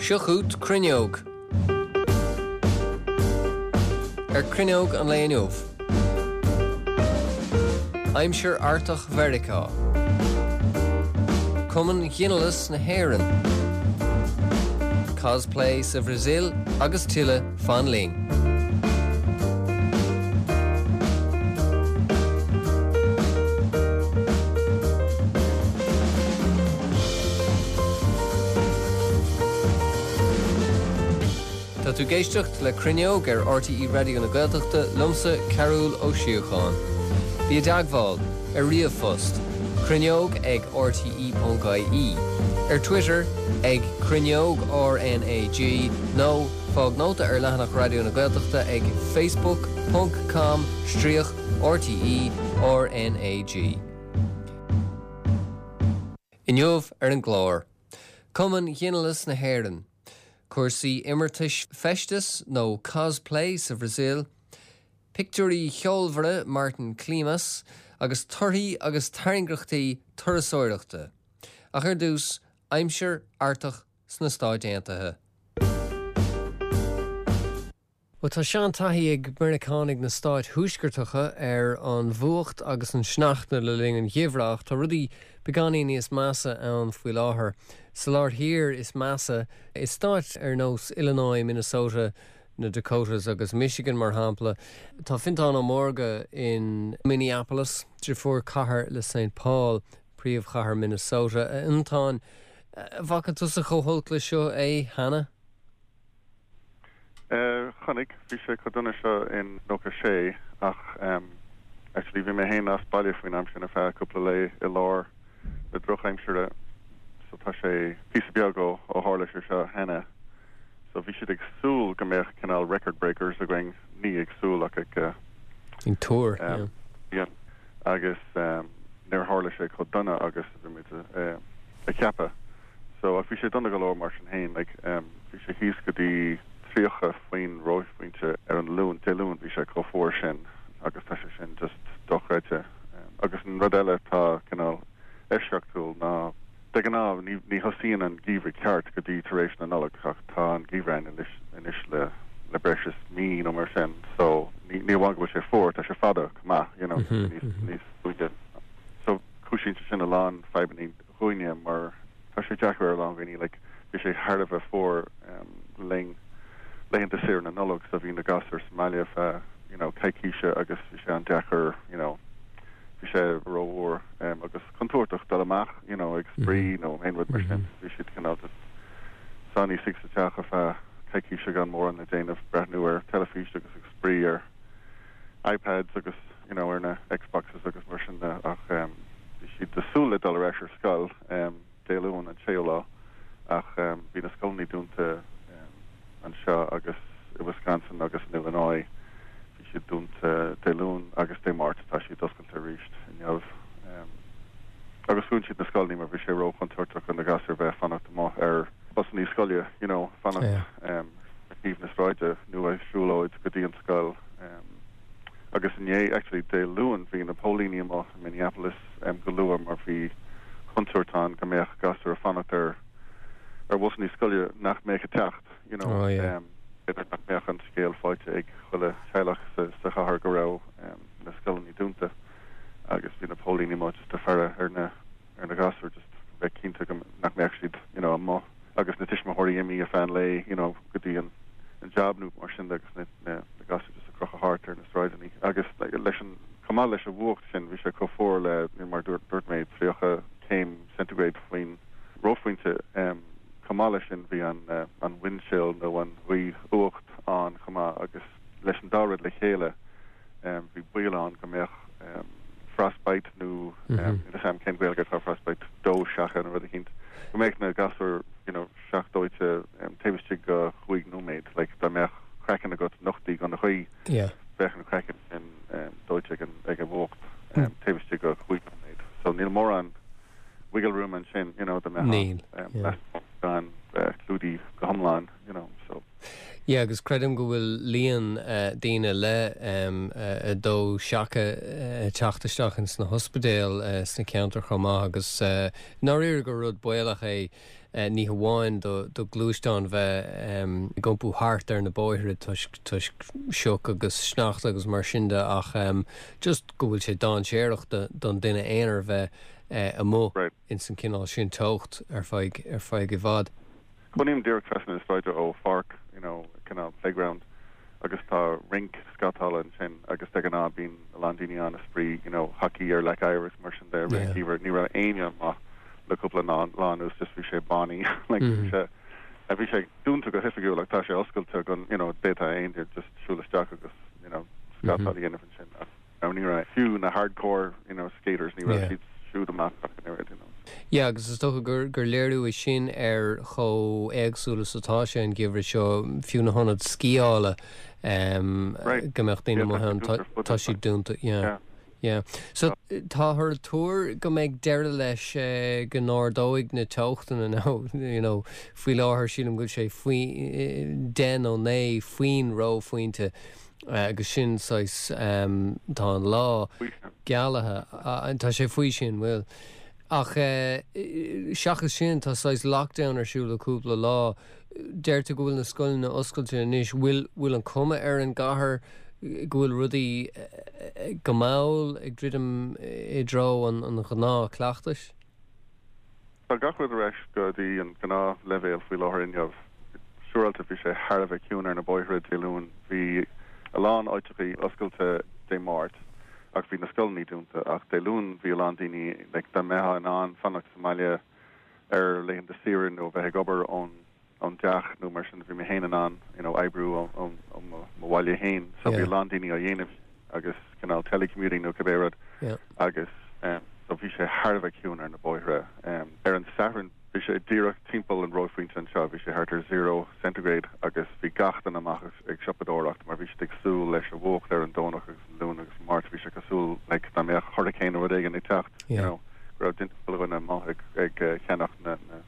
Seo chugat Cruinneog. Ar Cruinneog an lae inniu. Aimsir Artach Mheiriceá. Cumann Ghinealais na hÉireann. Cosplay sa Bhrasaíl agus tuilleadh, fan linn. Tá tú ag éisteacht le Cruinneog ar RTÉ Raidió na Gaeltachta liomsa Cearbhall Ó Síocháin. Bí i dteagmháil ar ríomhphost, cruinneog ag rte.ie, ar Twitter ag Cruinneog RnaG nó fág nóta ar leathanach Raidió na Gaeltachta ag facebook ponc com stríoc RTÉ RnaG. Inniu ar an gclár, Cumann Ghinealais na hÉireann, cúrsaí imeartais feisteas nó cosplay sa Bhrasaíl, pictiúirí ceolmhara Martin Klimas agus torthaí agus tairngreachtaí turasóireachta. Ach ar dtús, aimsir Artach sna Stáit Aontaithe. Bhuel, tá seantaithí ag Meiriceánaigh na stáit thuaisceartacha ar an bhfuacht agus an sneachta le linn an gheimhridh ach tá rudaí beagáinín níos measa ann faoi láthair. Sa lár thiar is measa, i stáit ar nós Illinois, Minnesota, na Dakotas agus Michigan mar shampla. Tá Fintán Ó Mórdha in Minneapolis, deirfiúr cathair le Saint Paul, príomhchathair Minnesota. A Fhionntáin, an bhfaca tusa chomh holc leis seo é cheana? Chonaic, bhí sé chomh dona seo in 96 ach actually bhí mé féin as baile faoin am sin ar feadh cúpla lae i lár na drochaimsire so tá sé píosa beag ó ó tharla sé seo cheana so bhí siad ag súil go mbeadh cineál record breakers againn, ní ag súil ach ag Ag tuar, yeah. yeah agus níor tharla sé chomh dona agus a bhí muid a cheapadh. So, ach bhí sé dona go leor mar sin féin, like, bhí sé thíos go dtí 30 faoin reophointe ar an Luan, Dé Luain, bhí sé chomh fuar sin agus tá sé sin just dochreidte. Agus an rud eile atá cineál eisceachtúil ná de ghnáth ní, ní thosaíonn an geimhreadh ceart go dtí tar éis na Nollag ach tá an geimhreadh ann anois, anois le, le breis is mí nó mar sin so ní, ní amháin go bhfuil sé fuar, tá sé fada chomh maith, you know, tá sé níos, níos faide. So cúisíonn sé sin a lán fadhbanna dhúinne mar tá sé deacair ar a lán dhaoine like bhí sé thar a bheith fuar le linn laethanta saoire na Nollag so bhí na gasúir sa mbaile feadh you know coicíse agus bhí sé an-deacair you know bhí sé rófhuar agus contúirteach dul amach you know ag spraoi nó aon rud mar sin bhí siad cineál just sáinnithe istigh sa teach ar feadh coicíse gan mórán le déanamh breathnú ar teilifís agus ag spraoi ar iPads agus you know ar na Xboxes agus mar sin de ach bhí siad ag súil le dul ar ais ar scoil Dé Luain an séú lá ach bhí na scoileanna dúnta anseo agus i Wisconsin agus in Illinois bhí siad dúnta Dé Luain agus Dé Máirt tá siad oscailte arís inniu agus dhún siad na scoileanna mar bhí sé róchontúirteach do na gasúir bheith ag fanacht amuigh ar busanna scoile you know fanacht ar thaobh na sráide nó ag siúlóid go dtí an scoil. Agus inné, actually Dé Luain, bhí na póilíní amuigh i Minneapolis go luath mar bhí contúirt ann go mbeadh gasúir ag fanacht ar ar bhusanna scoile nach mbeadh ag teacht, you know. Oh yeah. B'fhéidir nach mbeadh an scéal faighte ag chuile theaghlach sa sa chathair go raibh na scoileanna dúnta agus bhí na póilíní amuigh just ag faire ar na ar na gasúir just bheith cinnte go nach mbeadh siad you know amuigh agus na tuismitheoirí imithe ar feadh an lae you know go dtí an an job nó mar sin de agus na na na gasúir just ag crochadh thart ar na sráideanna agus leis an chomh maith leis an bhfuacht sin bhí sé chomh fuar le mar dúirt dúirt mé 30 céim centigrade faoin reophointe um, chomh maith leis sin bhí an uh, an wind chill nó an ghaoth fhuacht ann chomh maith agus leis an dá rud le chéile Bhí baol ann go mbeadh frostbite nó níl a fhios a'm cén Ghaeilge atá ar frostbite, dó seacha nó rud eicínt, go mbeadh na gasúir you know seachdóite taobh istigh de chúig nóiméad, like dá mbeadh craiceann agat nochtaithe don ghaoth, bheadh an craiceann sin dóite ag an ag an bhfuacht taobh istigh de chúig nóiméad. So níl mórán wiggle room ansin, you know, dá mbeadh Níl, yeah. gan bheith clúdaithe go hiomlán, you know, so. Yeah, agus creidim go bhfuil líon daoine le dó seaca ag teacht isteach ins na hospidéil sna ceantair chomh maith agus i ndáiríre gur rud baolach é ní hamháin do ghluaisteáin bheith ag iompú thart ar na bóithre toisc toisc sioc agus sneachta agus mar sin de ach just go bhfuil sé dainséarach don duine aonair bheith amuigh ins an cineál sin teocht ar feadh ar feadh i bhfad. Cónaím díreach trasna na sráide ó pháirc, you know, cineál playground agus tá rinc scátála ansin agus de ghnáth bíonn a lán daoine ann ag spraoi, you know, hockey ar leac oighir agus mar sin de i rith an gheimhridh. Ní raibh éinne amuigh le cúpla lá anuas, just bhí sé bánaí, like bhí sé, bhí sé dúnta go hoifigiúil ach tá sé oscailte go, you know, d'fhéadfadh aon duine just siúl isteach agus, you know, scátáil a dhéanamh ansin ach. Now ní raibh fiú na hardcore you know skaters ní raibh siad siúd amach ach an oiread you know. Yeah agus is dócha gur gur léiriú é sin ar chomh éagsúil is atá sé an geimhreadh seo, fiú na hionaid sciála um Right. go mbeadh daoine Yeah tá amuigh siad ann dúnta ar fud tá siad dúnta yeah. Yeah. Yeah. So táthar ag tuar go mbeidh deireadh leis go n-ardóidh na teochtanna now you know faoi láthair sílim go bhfuil sé faoi 10 nó 9 faoin reophointe agus sin saghas tá an lá gealaithe tá sé faoi sin bhfuil ach seachas sin tá saghas lockdown ar siúl le cúpla lá deir tú go bhfuil na scoileanna oscailte anois bhfuil bhfuil an cuma ar an gcathair go bhfuil rudaí go mall ag druidim i dtreo an an ghnáthchleachtais? Tá gach rud ar ais go dtí an gnáthleibhéal faoi láthair inniu. Siúráilte bhí sé thar a bheith ciúin ar na bóithre Dé Luain. Bhí a lán áiteachaí oscailte Dé Máirt ach bhí na scoileanna dúnta. Ach Dé Luain bhí a lán daoine, like dá mbeifeá in ann fanacht sa mbaile ar laethanta saoire nó bheith ag obair ón ón dteach nó mar sin bhí mé féin in ann you know oibriú ó ó ó mo mo bhaile féin so bhí a lán daoine á dhéanamh agus cineál telecommuting nó cibé rud agus um so bhí sé thar a bheith ciúin ar na bóithre. Um ar an Satharn bhí sé díreach timpeall an reophointe anseo bhí sé thart ar zero centigrade agus bhí gach duine amach ag siopadóireacht mar bhí siad ag súil leis an bhfuacht ar an Domhnach agus an Luan agus an Máirt bhí sé cosúil like dá mbeadh hurricane nó rud éigin ag teacht you know go raibh duine chuile dhuine amuigh ag ag ceannach na na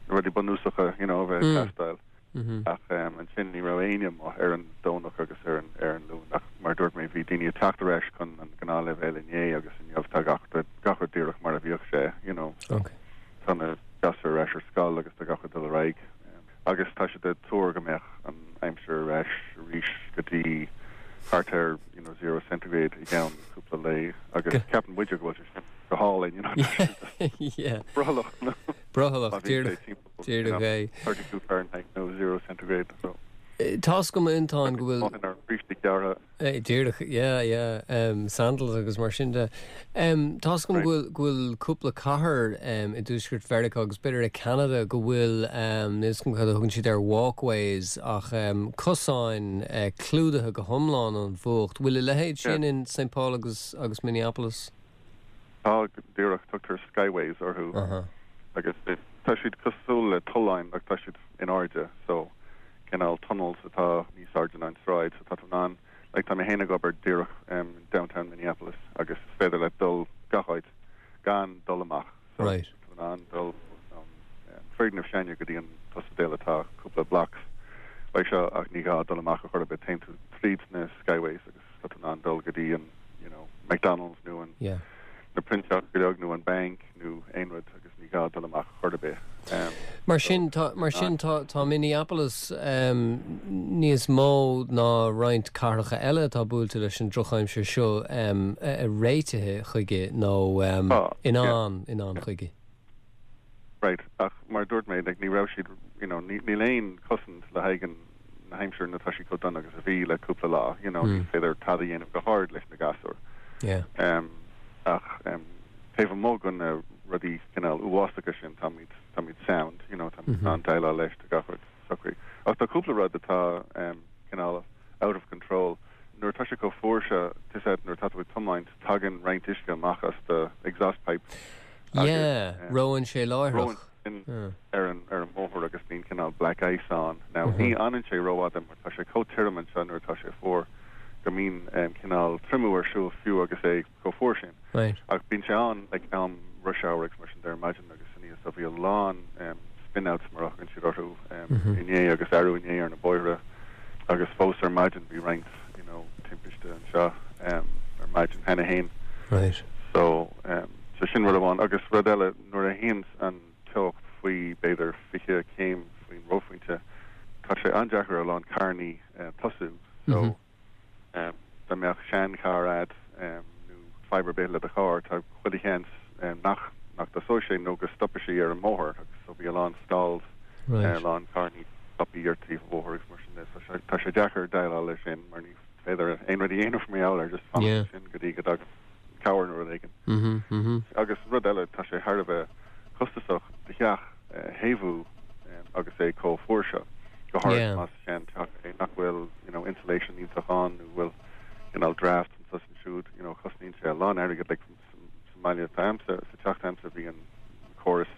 na rudaí bunúsacha you know a bheith ag teastáil. Ach ansin ní raibh éinne amuigh ar an Domhnach agus ar an ar an Luan ach mar a dúirt mé bhí daoine ag teacht ar ais chun an gnáthleibhéal inné agus inniu tá gach rud gach rud díreach mar a bhíodh sé you know. Tá na gasúir ar ais ar scoil agus tá gach rud ag dul ar aghaidh. Agus tá siad ag tuar go mbeadh an aimsir ar ais arís go dtí thart ar you know zero centigrade i gceann cúpla lae agus ceapann muide go bhfuil sé sin go hálainn you know tá sé just brothallach no Brothallach, díreach, díreach é. 32 Fahrenheit nó zero centigrade so. Tá's agam a Fhionntáin go bhfuil. Inár mbrístí gearra. Díreach, yeah, yeah, sandals agus mar sin de. Tá's agam go bhfuil, go bhfuil cúpla cathair i dtuaisceart Mheiriceá agus b'fhéidir i Ceanada go bhfuil, níl 'fhios agam cad a thugann siad air, walkways ach cosáin clúdaithe go hiomlán ón bhfuacht. Bhfuil a leithéid sin in St Paul agus, agus Minneapolis? Tá, díreach, tugtar skyways orthu agus tá siad cosúil le tolláin ach tá siad in airde so cineál tunnels atá níos airde ná an tsráid so tá tú in ann like tá mé féin ag obair díreach in downtown Minneapolis agus is féidir leat dul gach áit gan dul amach so Right. tá tú in ann dul ón foirgneamh s'againne go dtí an t-ospidéal atá cúpla blocks uaidh seo ach ní gá dul amach ar chor ar bith téann tú tríd na skyways agus tá tú in ann dul go dtí an you know McDonald's nó an Yeah. na print shop go leor nó an bank nó aon rud agus ní gá dul amach chor ar bith. Um, Mar sin tá mar sin tá tá Minneapolis um, níos mó ná roinnt cathracha eile atá buailte leis an drochaimsir seo um, réitithe chuige nó um, Tá, in yeah. ann in ann chuige. Right, ach mar a dúirt mé, like, ní raibh siad, you know, ní, níl aon chosaint le haghaidh an, na haimsire nuair atá sí chomh dona agus a bhí le cúpla lá, you know, ní féidir tada a dhéanamh go hard leis na gasúir. Yeah. Um, ach um, taobh amuigh de na rudaí cineál uafásacha sin, táimid, táimid sound, you know, táimid in ann déileáil leis, tá gach rud socraithe. Ach tá cúpla rud atá um, cineál out of control. Nuair atá sé chomh fuar seo, tá 'fhios a'd nuair atá tú ag tiomáint, tagann roinnt uisce amach as do exhaust pipe agus Yeah, reonn sé láithreach. Reonn sin ar an ar an mbóthar agus bíonn cineál black ice ann. Now ní fhanann sé rófhada mar tá sé chomh tirim anseo nuair atá sé fuar go mbíonn cineál triomú ar siúl fiú agus é chomh fuar sin. Right. Ach bíonn sé ann like am rush hour agus mar sin de ar maidin agus aníos so bhí a lán spin outs mar a thugann siad orthu inné agus arú inné ar na bóithre. Agus fós ar maidin bhí roinnt you know timpiste anseo ar maidin cheana féin. Right. So so sin rud amháin agus rud eile nuair a théanns an teocht faoi b'fhéidir 20 céim faoin reophointe tá sé an-deacair a lán carrannaí tosú so dá mbeadh sean-charr a'd nó fadhb ar bith le do charr tá chuile sheans nach nach dtosóidh sé nó go stopfaidh sé ar an mbóthar agus so bhí a lán stalls a lán carrannaí stoptha ar taobh an bhóthair agus mar sin de so tá sé deacair déileáil leis sin mar ní féidir aon rud a dhéanamh mar gheall air just fanacht ansin go dtí go dtagann cabhair nó rud éigin. Agus rud eile tá sé thar a bheith costasach do theach a théamhú agus é chomh fuar seo, go háirid más sean-teach é nach bhfuil you know insulation iontach ann nó bhfuil cineál draft anseo is ansiúd, you know cosnaíonn sé a lán airgid like sa mbaile atá a'msa, sa teach atá a'msa bhí an córas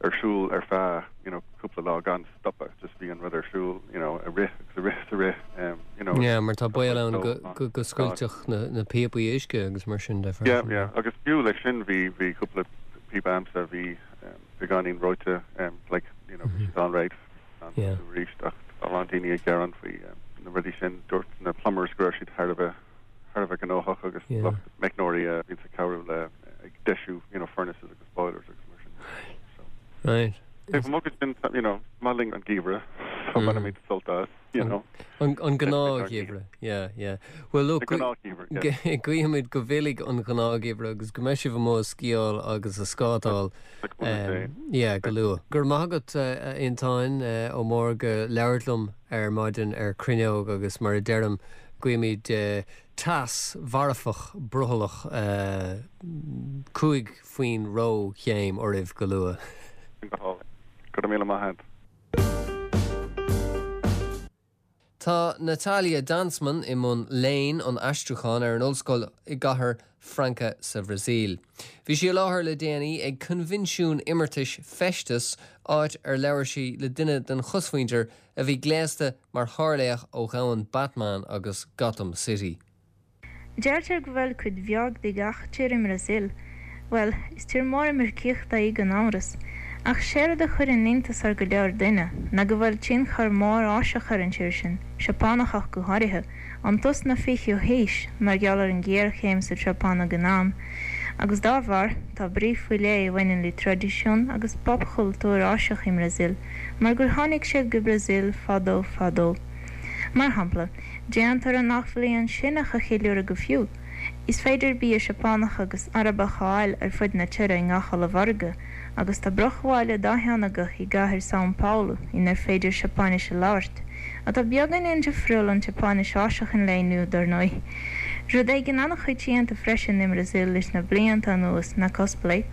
ar siúl ar feadh you know cúpla lá gan stopadh, just bhí an rud ar siúl you know ag rith agus ag rith is ag rith um you know. Yeah, mar tá baol ann go go go scoiltfeadh na na píopaí uisce agus mar sin de freisin. Yeah, yeah, agus fiú leis sin bhí bhí cúpla píopa a'msa bhí um beagáinín reoite um like you know bhí siad an-réidh Yeah. arís ach tá a lán daoine ag gearán faoi na rudaí sin. Dúirt na plumbers go raibh siad thar a bheith thar a bheith gnóthach agus lucht meicneoirí a bhíonns ag cabhrú le ag deisiú you know furnaces agus boilers agus mar sin. So Right. Taobh amuigh de sin you know maith linn an geimhreadh so bainimid sult as you know. An an gnáthgheimhreadh, yeah, yeah. Well look, An gnáthgheimhreadh, yeah. guímid go bhfillfidh an gnáthgheimhreadh agus go mbeidh sibh amuigh ag sciáil agus ag scátáil Yeah, go luath. Go raibh maith agat, a Fhionntáin Ó Mórdha, labhairt liom ar maidin ar Cruinneog agus mar a deirim, guímid teas marfach brothallach 5 faoin reochéim oraibh go luath. Go hálainn. Go raibh míle maith agat. Tá Natalia Danzmann i mbun léinn an aistriúcháin ar an ollscoil i gcathair Franca sa Bhrasaíl. Bhí sí i láthair le déanaí ag coinbhinsiún imeartais Feistis, áit ar labhair sí le duine den chosmhuintir a bhí gléasta mar shárlaoch ó dhomhan Batman agus Gotham City. Deirtear go bhfuil cuid bheag de gach tír i mBrasaíl. Bhuel, is tír mór imircíochta í gan amhras. Ach séard a chuireann iontas ar go leor duine ná go bhfuil tionchar mór Áiseach ar an tír sin, Seapánach ach go háirithe, ón tús na fichiú haois, mar gheall ar an ghéarchéim sa tSeapáin ag an am. Agus dá bharr, tá brí faoi leith a bhaineann le traidisiún agus popchultúr Áiseach i mBrasaíl, mar gur tháinig siad go Brasaíl fadó fadó. Mar shampla, Déantar an Athbhliain Síneach a cheiliúradh go fiú. Is féidir bia Seapánach agus Arabach a fháil ar fud na tire i ngach ollmhargadh, agus tá bruachbhaile dátheangach i gcathair São Paulo inar féidir Seapáinis a labhairt, atá beagáinín difriúil ón tSeapáinis Áiseach an lae inniu, dar ndóigh. Rud éigin an-choitianta freisin i mBrasaíl leis na blianta anuas ná cosplay,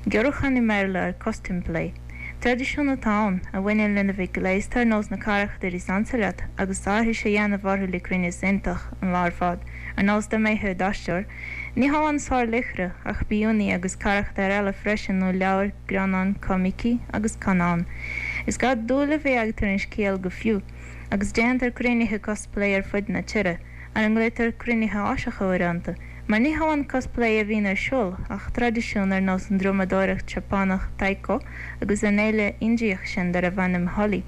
giorrúchán i mBéarla ar costume play. Traidisiún atá ann, a bhaineann lena bheith gléasta ar nós na carachtair is ansa leat agus aithris a dhéanamh orthu le cruinneas iontach an lá ar fad, ar nós dá mbeifeá i d'aisteoir. Ní hamháin sárlaochra, ach b'fhiú agus carachtair eile freisin ó leabhair, greannáin, coimicí agus scannáin. Is gá dúil a bheith agat ar an scéal go fiú, agus déantar cruinnithe cosplay ar fud na tire, ar a nglaotar cruinnithe Áiseacha uaireanta. Mar ní hamháin cosplay a bhíonn ar siúl, ach traidisiún ar nós an drumadóireacht Seapánach Taiko agus an fhéile Indiach sin darbh ainm Holi,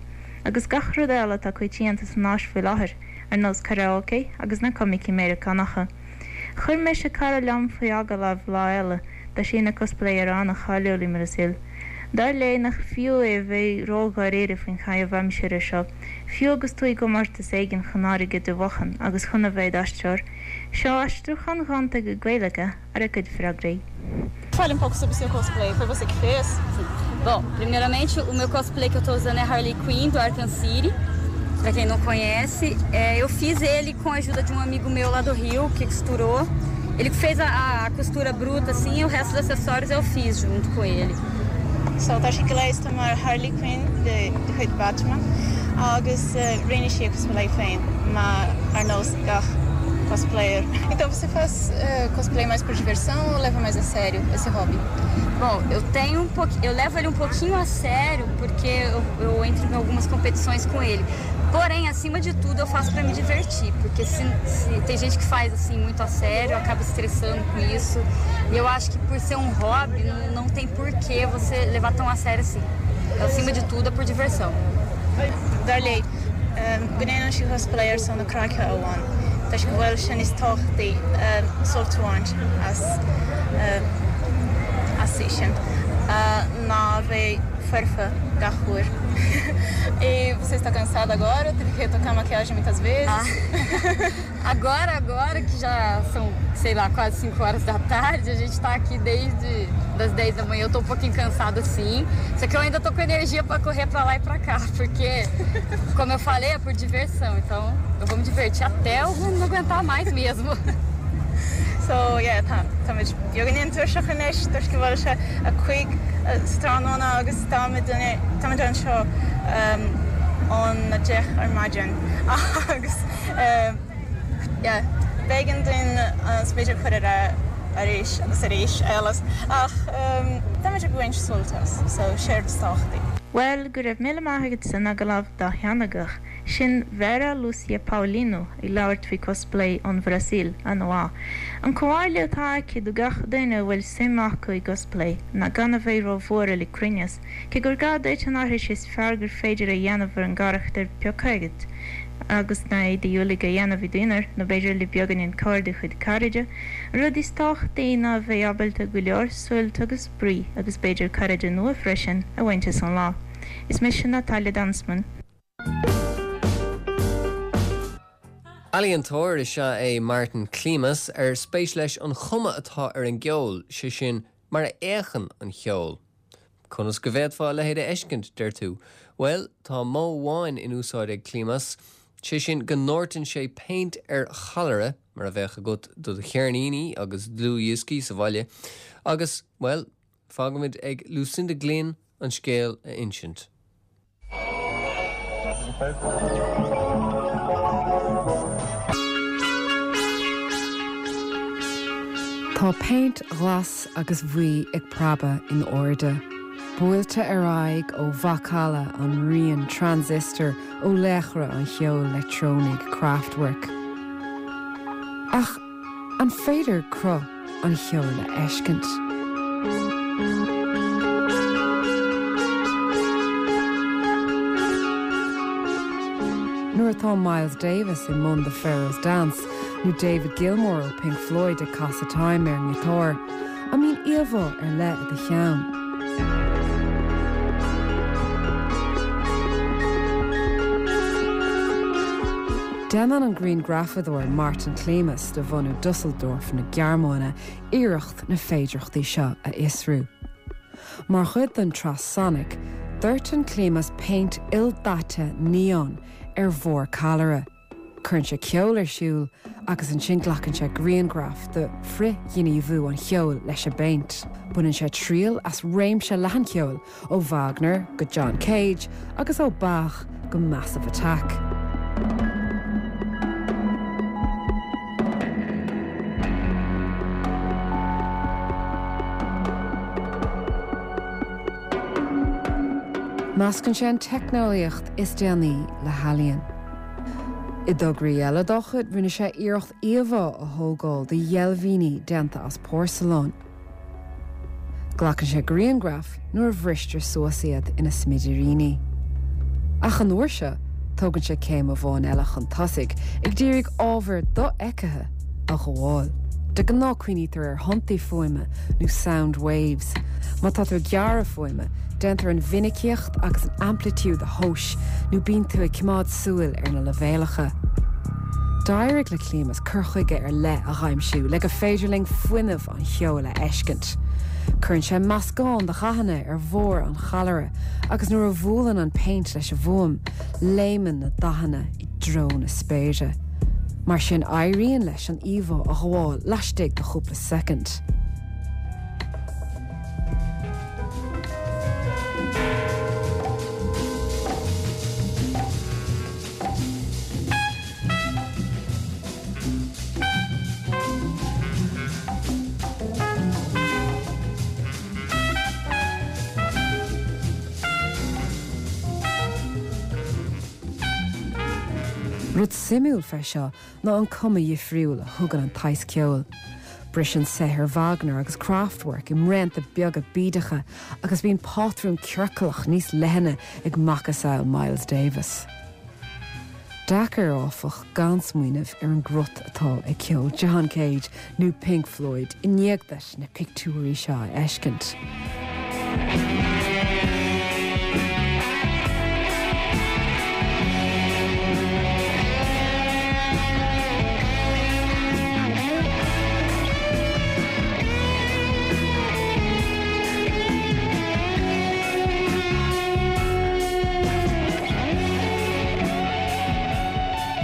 agus gach rud eile atá coitianta san Áis faoi láthair, ar nós karaoke agus na coimicí Meiriceánacha. Chuir mise cara liom faoi agallamh lá eile, tá sí ina cosplayer an-cháiliúil i mBrasaíl. Dar léi nach fiú é a bheith ró-dháiríre faoin chaitheamh aimsire seo, fiú agus tú i gcomórtas éigin chun airgead a bhuachan agus chun a bheith i d'aisteoir, Seo aistriúchán gonta go Gaeilge ar a cuid freagraí. Fale um pouco sobre o seu cosplay. Foi você que fez? Sim. Bom, primeiramente, o meu cosplay que eu tô usando é Harley Quinn do Arkham City. Para quem não conhece, é, eu fiz ele com a ajuda de um amigo meu lá do Rio, que costurou. Ele fez a, a costura bruta, assim, e o resto dos acessórios eu fiz junto com ele. So tá sí gléasta mar Harley Quinn de chuid Batman agus rinne sí a cosplay féin mar ar nós gach cosplayer. Então você faz cosplay mais por diversão ou leva mais a sério esse hobby? Bom, eu tenho um pouquinho, eu levo ele um pouquinho a sério porque eu, eu entro em algumas competições com ele. Porém, acima de tudo, eu faço para me divertir, porque se, se, tem gente que faz assim muito a sério, acaba estressando com isso. E eu acho que por ser um hobby, não, não tem por que você levar tão a sério assim. Acima de tudo é por diversão. Dar léi, go ndéanann sí cosplay ar son na craice amháin toisc go bhfuil sé níos tábhachtaí sult a bhaint as as sin ná a bheith foirfe gach uair. E você está cansada agora? Teve que retocar a maquiagem muitas vezes? Agora, agora que já são, sei lá, quase 5 horas da tarde, a gente está aqui desde das 10 da manhã. Eu tô um pouquinho cansada sim. Só que eu ainda tô com energia para correr para lá e para cá, porque como eu falei, é por diversão. Então, eu vou me divertir até eu não aguentar mais mesmo. So yeah, tá táimid beagáinín tuirseach anois toisc go bhfuil sé a 5 sa tráthnóna agus táimid táimid anseo óna 10 ar maidin agus yeah, b'éigean dúinn an smideadh a chur ar arís agus arís eile ach táimid ag baint sult as so séard is tábhachtaí. Bhuel, go raibh míle maith agat san agallamh dátheangach. Sin Vera Lúcia Paulino ag labhairt faoi cosplay ón Bhrasaíl, an-mhaith. An comhairle atá aici do gach duine a bhfuil suim acu i gcosplay ná gan a bheith ró-bhuartha le cruinneas, cé gur gá duit an aithris is fearr gur féidir a dhéanamh ar an gcarachtar pioctha agat, agus na héadaí uilig a dhéanamh i d'aonar, nó b'fhéidir le beagáinín cabhair de chuid cairde. An rud is tábhachtaí ná a bheith ábalta go leor suilt agus spraoi, agus b'fhéidir cairde nua freisin, a bhaint as an lá. Is mise Natalia Danzmann. Ealaíontóir is ea é Martin Klimas ar spéis leis an chuma atá ar an gceol, sé sin, mar a fhéachann an ceol. Conas go bhféadfá a leithéid a fheiscint, deir tú? Bhuel, tá modh amháin in úsáid ag Klimas, sé sin go ndóirteann sé péint ar challaire, mar a bheadh agat do do cheirníní agus dlúthdhioscaí sa bhaile, agus, bhuel, fágfaimid ag Lucinda Glynn an scéal a insint. Tá péint ghlas agus bhuí ag preabadh in airde, buailte ar aghaidh ó mhacalla an riain transistor ó laochra an cheoil leictreonaigh Kraftwerk. Ach an féidir cruth an cheoil a fheiscint. Nuair atá Miles Davis i mbun The Pharaoh's Dance nó David Gilmour ó Pink Floyd ag casadh Time ar an ngiotár, an mbíonn íomhá ar leith i do cheann? Déanann an grianghrafadóir Martin Klimas de bhunadh Dusseldorf na Gearmáine iarracht na féidearthachtaí seo a fhiosrú. Mar chuid den tsraith Sonic, doirteann Klimas péint ildaite neon ar bharr callaire. Cuireann sé ceol ar siúl agus ansin glacann sé grianghraf de frithghníomhú an cheoil leis an bpéint. Baineann sé triail as réimse leathan ceoil, ó Wagner go John Cage agus ó Bach go Massive Attack. Meascann sé an teicneolaíocht is déanaí le healaíon. I dtograí eile dá chuid rinne sé iarracht íomhá a thógáil de dheilbhíní déanta as porsalán. Glacann sé grianghraif nuair a bhristear suas iad ina smidiríní. Ach an uair seo, tógann sé céim amháin eile chun tosaigh, ag d'iarraidh ábhar dofheicthe a ghabháil. De ghnáth cuimhnítear ar thonntaí fuaime nó sound waves. Má tá tú ag gearradh fuaime, déantar an mhinicíocht agus an aimplitiúd a thomhas nó bíonn tú ag coimeád súil ar na leibhéalacha. D'éirigh le Klimas cur chuige ar leith a dh'aimsiú le gur féidir linn fuinneamh an cheoil a fheiscint. Cuireann sé meascán de dhathanna ar bharr an challaire agus nuair a bhuaileann an péint leis an bhfuaim, léimeann na dathanna i dtreo na spéire. Mar sin éiríonn leis an íomhá a ghabháil laistigh de chúpla soicind. Rud suimiúil fé seo ná an cuma dhifriúil a thugann an tsaghas ceoil. Briseann saothair Wagner agus Kraftwerk i mbraonta beaga bídeacha agus bíonn pátrún ciorclach níos leithne ag macasamhail Miles Davis. Deacair, áfach, gan smaoineamh ar an gcrot atá ag ceol John Cage nó Pink Floyd i ndiaidh duit na pictiúirí seo a fheiscint.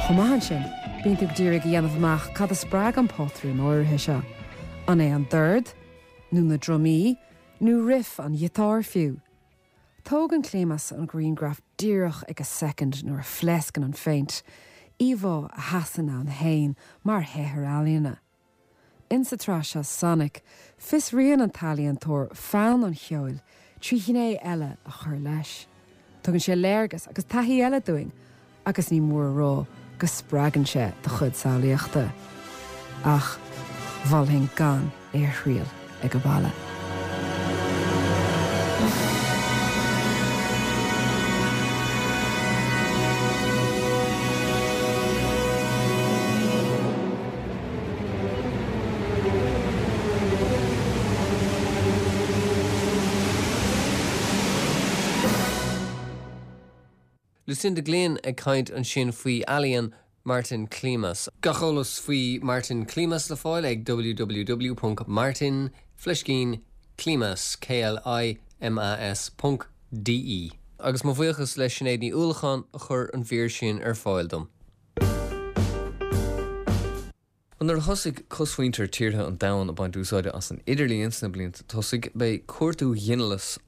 Chomh maith ansin, bíonn tú ag d'iarraidh a dhéanamh amach cad a spreag an pátrún áirithe seo. An é an dord? Nó na drumaí? Nó riff an ghiotáir fiú? Tógann Klimas an grianghraf díreach ag an soicind nuair a phléascann an phéint, íomhá a sheasann ann féin mar shaothar ealaíne. Insa tsraith seo Sonic, fiosraíonn an t-ealaíontóir fonn an cheoil trí ghné eile a chur leis. Tugann sé léargas agus taithí eile dúinn agus ní mór a rá go spreagann sé do chuid samhlaíochta. Ach mholfainn gan é a thriail ag an baile. Lucinda Glynn ag caint ansin faoi ealaíon Martin Klimas. Gach eolas faoi Martin Klimas le fáil ag www.martin fleiscín Klimas, K-L-I-M-A-S, ponc DE. Agus mo bhuíochas le Sinéad Ní Uallacháin a chuir an mhír sin ar fáil dom. Bhuel, nuair a thosaigh cosmhuintir tíortha an domhain ag baint úsáide as an idirlíon sna blianta tosaigh, b'é cuartú ghinealais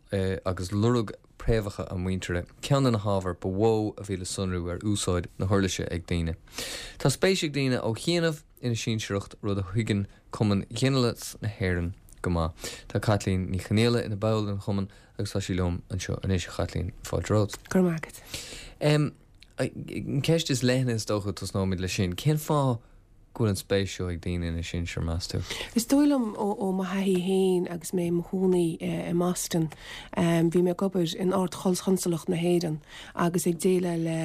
agus lorg préamhacha a muintire ceann de na hábhair ba mhó a bhí le sonrú ar úsáid na huirlise ag daoine. Tá spéis ag daoine ó chianaibh ina sinsearacht, rud a thuigeann Cumann Ghinealais na hÉireann go maith. Tá Caitlín Ní Chonghaile ina ball den chumann agus tá sí liom anseo anois. A Chaitlín, fáilte romhat. Go raibh maith agat. An cheist is leithne is dócha, tosnóimid leis sin. Cén fáth go bhfuil an spéis seo ag daoine ina sinsir, meas tú? Is dóigh liom ó mo thaithí féin agus mé i mo chónaí i mBoston, bhí mé ag obair in Ard-Chonsalacht na hÉireann agus ag déileáil le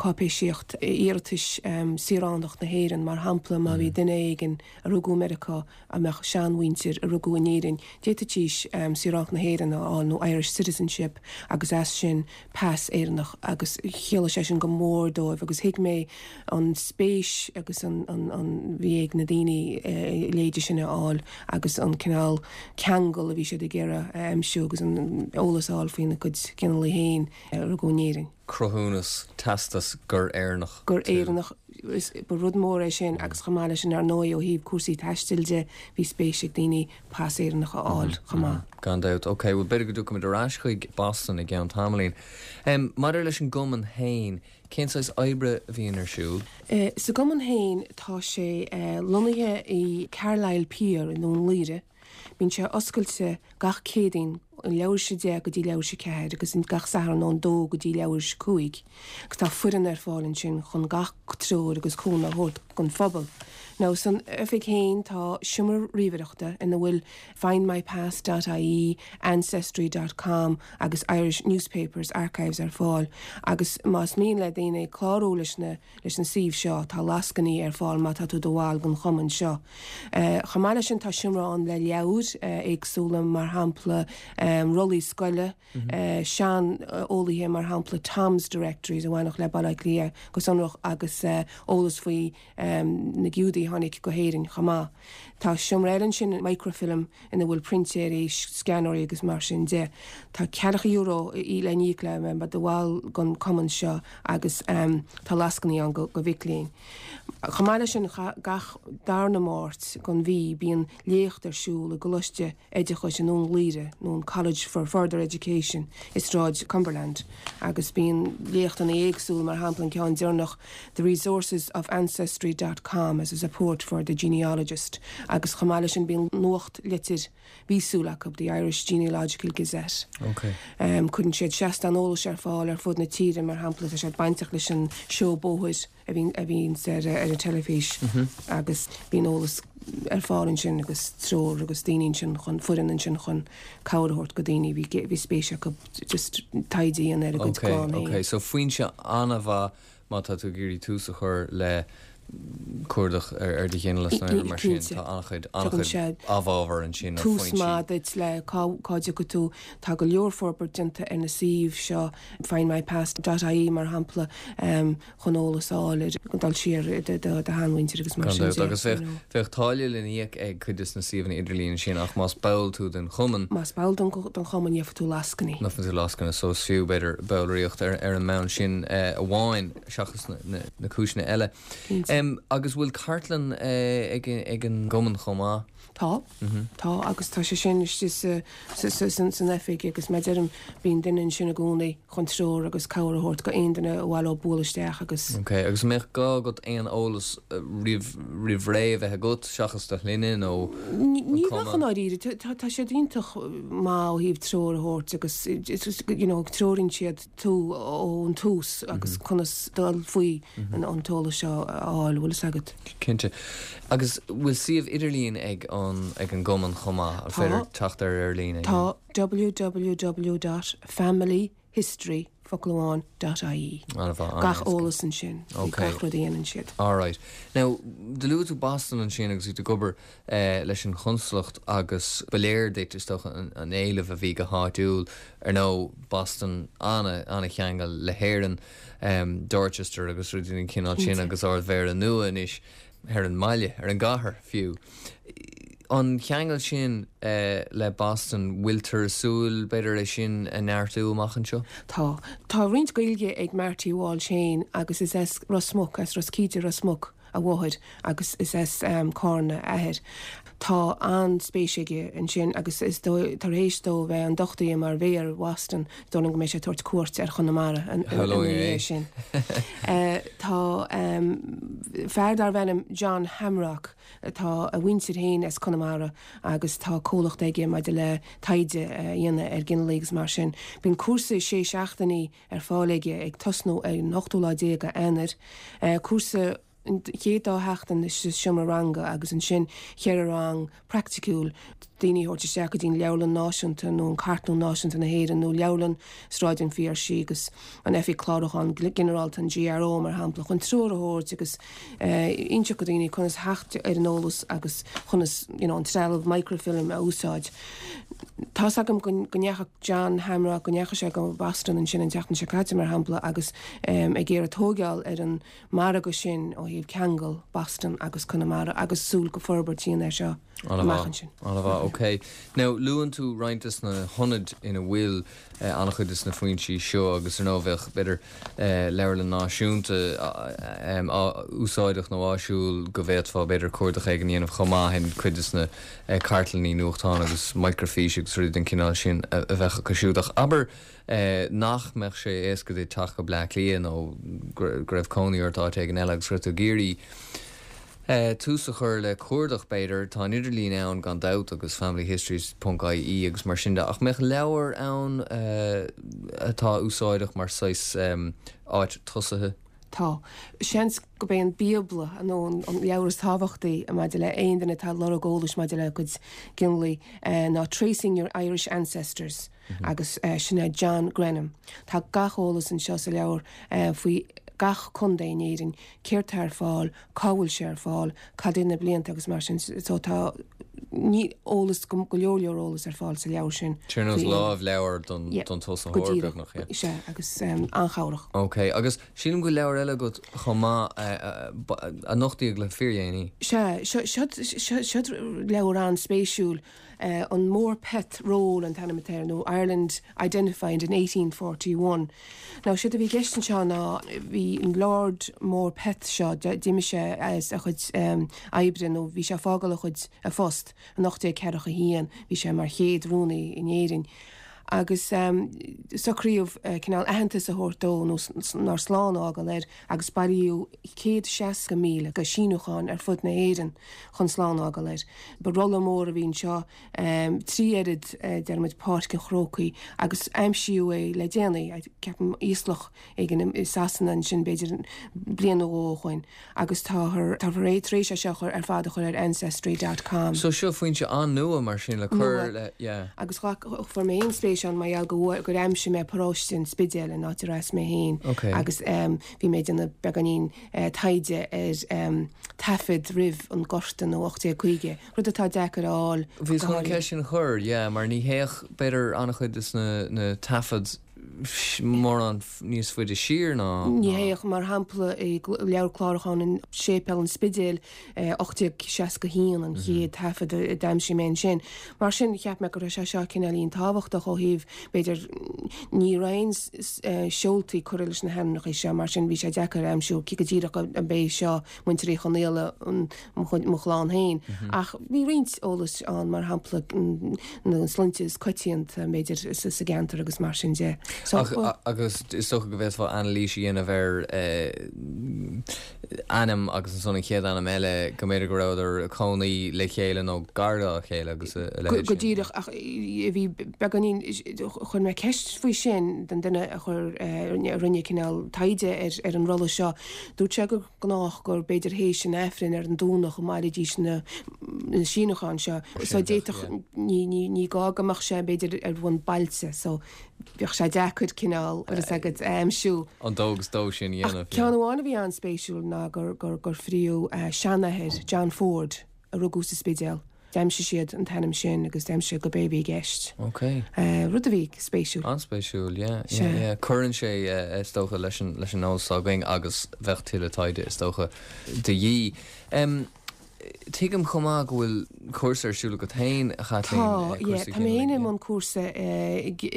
cáipéisíocht iarratais saoránacht na hÉireann, mar shampla má bhí duine éigin a rugadh i Meiriceá a mbeadh seanmhuintir a rugadh in Éirinn, d'fhéadfaidís saoránacht na hÉireann a fháil nó Irish citizenship agus as sin pas Éireannach agus chiallaigh sé sin go mór dóibh agus thuig mé an spéis agus an an bhí ag na daoine a leithéide sin a fháil agus an cineál ceangal a bhí siad ag iarraidh a aimsiú agus an eolas a fháil faoina gcuid ginealaigh féin a rugadh in Éirinn. Cruthúnas, teastas gur Éireannach gur tú. Éireannach Is, ba rud mór é sin agus chomh maith leis sin ar ndóigh ó thaobh cúrsaí taistil de bhí spéis ag daoine pas Éireannach a fháil chomh maith. Gan dabht. Ok, bhuel b'fhéidir go dtiocfaimid ar ais chuig Boston i gceann tamaillín. Maidir leis an gcumann féin, cén saghas oibre a bhíonn ar siúl? Sa gcumann féin tá sé lonnaithe i Carlisle Pier i nDún Laoghaire. Bíonn sé oscailte gach Céadaoin ó leathuair tar éis a 10 go dtí leathuair tar éis a 4 agus gach Satharn ón 2 go dtí leathuair tar éis a 5 agus tá foireann ar fáil ansin chun gach treoir agus cúnamh a thabhairt don phobal. Now san oifig féin tá seomra ríomhaireachta ina bhfuil findmypast dot ie, ancestry dot com agus Irish Newspapers Archives ar fáil agus más mian le daoine clárú leis na Leis na suímh seo, tá lascainí ar fáil má tá tú i do bhall den chumann seo. Chomh maith leis sin, tá seomra ann le leabhair éagsúla, mar shampla rollaí scoile, sean-eolaithe, mar shampla Tom's Directories a bhainfeadh le Baile Átha Cliath go sonrach agus eolas faoi na Giúdaigh a tháinig go hÉirinn chomh maith. Tá seomra eile ansin, microfilm, ina bhfuil printéirí, scanóirí agus mar sin de. Tá ceathracha euro le n-íoc le bheith i do bhall den cumann seo agus tá lascainí ann do mhic léinn. Chomh maith leis sin, gach darna Máirt den mhí bíonn léacht ar siúl i gColáiste Oideachais i nDún Laoghaire, nó an College for Further Education i Sráid Cumberland agus bíonn léachtanna éagsúla, mar shampla an ceann deireanach The Resources of Ancestry dot com as a Support for the Genealogist agus chomh maith leis sin bíonn nuachtlitir mhíosúil acu, The Irish Genealogical Gazette. Cuireann siad seastán eolais ar fáil ar fud na tíre, mar shampla tá siad bainteach leis an seó bóthair a bhíonn ar an teilifís agus bíonn eolas ar fáil ansin agus treoir agus daoine ansin chun, foireann ansin chun cabhair a thabhairt go daoine a bhí spéis acu just taighde a dhéanamh ar a gcuid clann féin. Ok, ok, so foinse an-mhaith. má tá tú ag iarraidh tús a chur le cuardach ar do ghinealas nó aon rud mar sin, tá an-chuid, an-chuid amhábhar ansin nó foinsí. Tús maith duit le cá dtiocfaidh tú. Tá go leor forbairt déanta ar na suímh seo, findmypast dot ie mar shampla, chun eolas a fháil ar dul siar i do sheanmhuintir agus mar sin de. Agus bheadh táille le n-íoc ag cuid de na suíomhanna idirlín sin ach más ball tú den chumann. Más ball den chumann gheobhaidh tú lascainí. Gheobhaidh tú lascaine so is fiú b'fhéidir ballraíocht ar an mbonn sin amháin seachas na cúiseanna eile. Agus bhfuil cartlann ag an gcumann chomh maith? Tá. Tá agus tá sé sin istigh san oifig agus mar a deirim bíonn duine ansin i gcónaí chun treoir agus cabhair a thabhairt go aon duine ar mhaith leo bualadh isteach agus. Ok, agus an mbeadh gá agat aon eolas roimh ré a bheith agat seachas do shloinne nó an Ní bheadh i ndáiríre, tá siad iontach maith ó thaobh treoir a thabhairt agus you know treoraíonn siad tú ón tús agus conas dul faoi an t-eolas seo a fháil, bhfuil fhios agat. Cinnte. Agus bhfuil suíomh idirlín ag an ag an gcumann chomh maith? An féidir teacht air ar líne? Tá, www dot familyhistory, focal amháin, dot ie. An-mhaith, Gach eolas ansin faoi gach rud a dhéanann siad. Alright. Now, do luaigh tú Boston ansin agus tú ag obair leis an chonsalacht agus ba léir duit, is dócha, an éileamh a bhí go háitiúil. Ar ndóigh, Boston an-cheangal le hÉirinn, Dorchester agus rudaí den chineál sin agus Ard-Mhéara nua anois ar an mbaile, ar an gcathair fiú. An cheangal sin le Boston, bhfuiltear ag súil, b'fhéidir, é sin a neartú amach anseo? Tá. Tá roinnt Gaeilge ag Marty Walsh féin agus is as Ros Muc, as Ros Cíde, Ros Muc, a mháthair agus is as Cárna a athair. Tá an-spéis aige ansin agus is dóigh, tar éis dó bheith ionduchtaithe mar mhéara Bhoston, is dóigh liom go mbeidh sé ag tabhairt cuairt ar Chonamara ina dhiaidh sin. Tá fear darbh ainm John Hamrock, tá a mhuintir féin as Conamara agus tá comhlacht aige maidir le taighde a dhéanamh ar ghinealaigh agus mar sin. Bíonn cúrsa sé seachtainí ar fáil aige ag tosnú ar an ochtú lá déag de Eanáir. Cúrsa an chéad dá sheachtain sa seomra ranga agus ansin cheithre rang praiticiúil, daoine a thabhairt isteach go dtí an Leabharlann Náisiúnta nó an Cartlann Náisiúnta na hÉireann nó Leabharlann Sráid an Phiarsaigh agus an Oifig Clárúcháin Ginearálta, an GRO, mar shampla, chun treoir a thabhairt agus inseacht do dhaoine conas theacht ar an eolas agus conas you know an trealamh microfilm a úsáid. Tá's agam go ndeachaigh John Hamrock, go ndeachaigh sé go Boston ansin an tseachtain seo caite, mar shampla, agus ag iarraidh tóigeáil ar an margadh sin ó thaobh ceangal Boston agus Conamara agus súil go forbairt a dhéanamh air seo amach ansin. An-mhaith, ok. Now, luann tú roinnt de na hionaid ina bhfuil an-chuid de na foinsí seo agus ar ndóigh bheadh, b'fhéidir, Leabharlann Náisiúnta úsáideach nó áisiúil go bhféadfá, b'fhéidir, cuardach éigin a dhéanamh chomh maith in cuid de na cartlannaí nuachtán agus microfíse agus rudaí den chineál sin a bheadh acu siúd. Ach abair nach mbeadh sé éasca duit teacht go Bleá Cliath nó go raibh cónaí ort áit éigin eile agus go raibh tú ag iarraidh tús a chur le cuardach, b'fhéidir. Tá an idirlíon ann gan dabht agus familyhistory ponc ie agus mar sin de, ach mbeadh leabhar ann atá úsáideach mar saghas áit tosaithe? Tá. Seans gurb é an Bíobla nó an leabhar is tábhachtaí maidir le aon duine atá ag lorg eolais maidir le cuid ginealaigh ná Tracing Your Irish Ancestors agus sin é John Grenham. Tá gach eolas anseo sa leabhar faoi gach contae in Éirinn, céard tá ar fáil, cá bhfuil sé ar fáil, cad é na blianta agus mar sin. So tá ní eolas, go leor leor eolas ar fáil sa leabhar sin. Ar nós lámhleabhar don tosaitheoir beagnach, yeah. Sea, agus an-chabhrach. Ok, agus sílim go bhfuil leabhar eile agat chomh maith a nochtaíodh le fíordhéanaí. Sea, seo leabhar an-spéisiúil. An Morpeth Roll an t-ainm atá air, nó Ireland Identified in 1841. Now, séard a bhí i gceist anseo ná bhí an Lord Morpeth seo, d'imigh sé as a chuid oibre nó bhí sé ag fágáil a chuid, a phost in 1841, bhí sé mar chéad rúnaí in Éirinn agus socraíodh cineál aitheantas a thabhairt dó nó nár slán a fhágáil air agus bailíodh 160,000 de shíniúcháin ar fud na hÉireann chun slán a fhágáil air. Ba rolla mór a bhí anseo, 3 oiread, deirimid, Páirc an Chrócaigh, agus aimsíodh é le déanaí, ceapaim, íoslach éigin i Sasana ansin, b'fhéidir bliain nó dhó ó shoin, agus táthar tar éis é seo a chur ar fad a chur ar Ancestry dot com. So seo foinse an-nua mar sin le cur le, yeah. Agus ghlac, fuair mé féin spéis. an-spéis ann mar gheall go bhfuair, gur aimsigh mé paróiste an Spidéil, an áit ar as mé féin agus bhí mé ag déanamh beagáinín taighde ar taifead roimh an Gorta nó 1850, rud atá deacair a fháil go Bhíos chun an háirithe. ceist sin a chur, yeah, mar ní théadh, b'fhéidir, an-chuid de na taifid mórán níos faide siar ná. Ní théadh, mar shampla, i leabhar clárúcháin an Séipéal an Spidéil, 1861 an chéad taifead a d'aimsigh mé ansin. Mar sin, cheap mé go raibh sé seo cineáilín tábhachtach ó thaobh, b'fhéidir, ní raibh aon seoltaí curtha leis na hainmneacha seo, mar sin bhí sé deacair a aimsiú cé go díreach an b'é seo muintir Uí Chonaola mo chlann féin. Ach bhí roinnt eolais ann, mar shampla na sloinnte is coitianta, b'fhéidir, sa gceantar agus mar sin de. Ach, agus is dócha go bhféadfá anailís a dhéanamh ar ainm agus ansan an chéad ainm eile, go mb'fhéidir go rabhadar ag cónaí le chéile nó gar dá chéile agus a leithéid sin. Go díreach, ach bhí beagáinín, chuir mé ceist faoi sin don duine a chuir, a rinne cineál taighde ar an rolla seo. Dúirt sé gur gnách gur b'fhéidir théis an Aifrinn ar an Domhnach a mbailídís na síniúcháin seo. So d'fhéadfadh, ní gá go mbeadh sé b'fhéidir ar bhonn bailte. So Bheadh sé deacair cineál, bhfuil fhios agat, a aimsiú. An dó agus dó sin a dhéanamh, Ach ceann amháin a bhí an-spéisiúil ná gur, gur, gur fríodh seanathair, John Ford, a rugadh sa Spidéal. D'aimsigh siad an t-ainm sin agus d'aimsigh siad gurb é a bhí i gceist. Ok. Rud a bhí spéisiúil. An-spéisiúil, yeah, yeah, yeah. Cuireann sé, is dócha, leis an, leis an eolas atá againn agus bheadh tuilleadh taighde, is dócha, de dhíth. Tuigim chomh maith go bhfuil cúrsa ar siúl agat féin, a Chaitlín, Tá, yeah. Tá mé féin i mbun cúrsa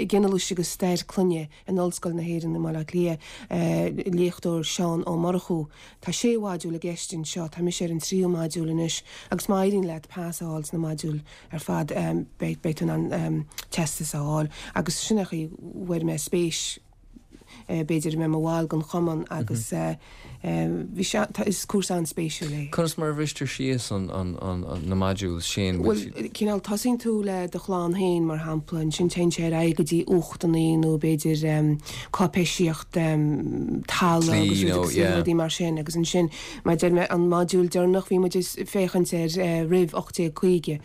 ginealais agus stair clainne in Ollscoil na hÉireann i mBaile Átha Cliath, léachtóir Seán Ó Murchú. Tá sé mhodúl i gceist anseo, tá mise ar an tríú modúl anois agus má éiríonn leat pas a fháil sna modúil ar fad beidh tú in ann teastas a fháil agus sin é an chaoi a bhfuair mé spéis b'fhéidir a bheith i mo bhall den chumann agus bhí sé, is cúrsa an-spéisiúil é. Conas mar a bhristear síos na modules sin? Bhuel, cineál tosaíonn tú le do chlann féin mar shampla, ansin téann sé ar aghaidh go dtí uchtanna nó b'fhéidir cáipéisíocht talamh agus rudaí mar sin agus ansin mar a deir mé an modúl deireanach bhí muid ag féachaint ar roimh 1850,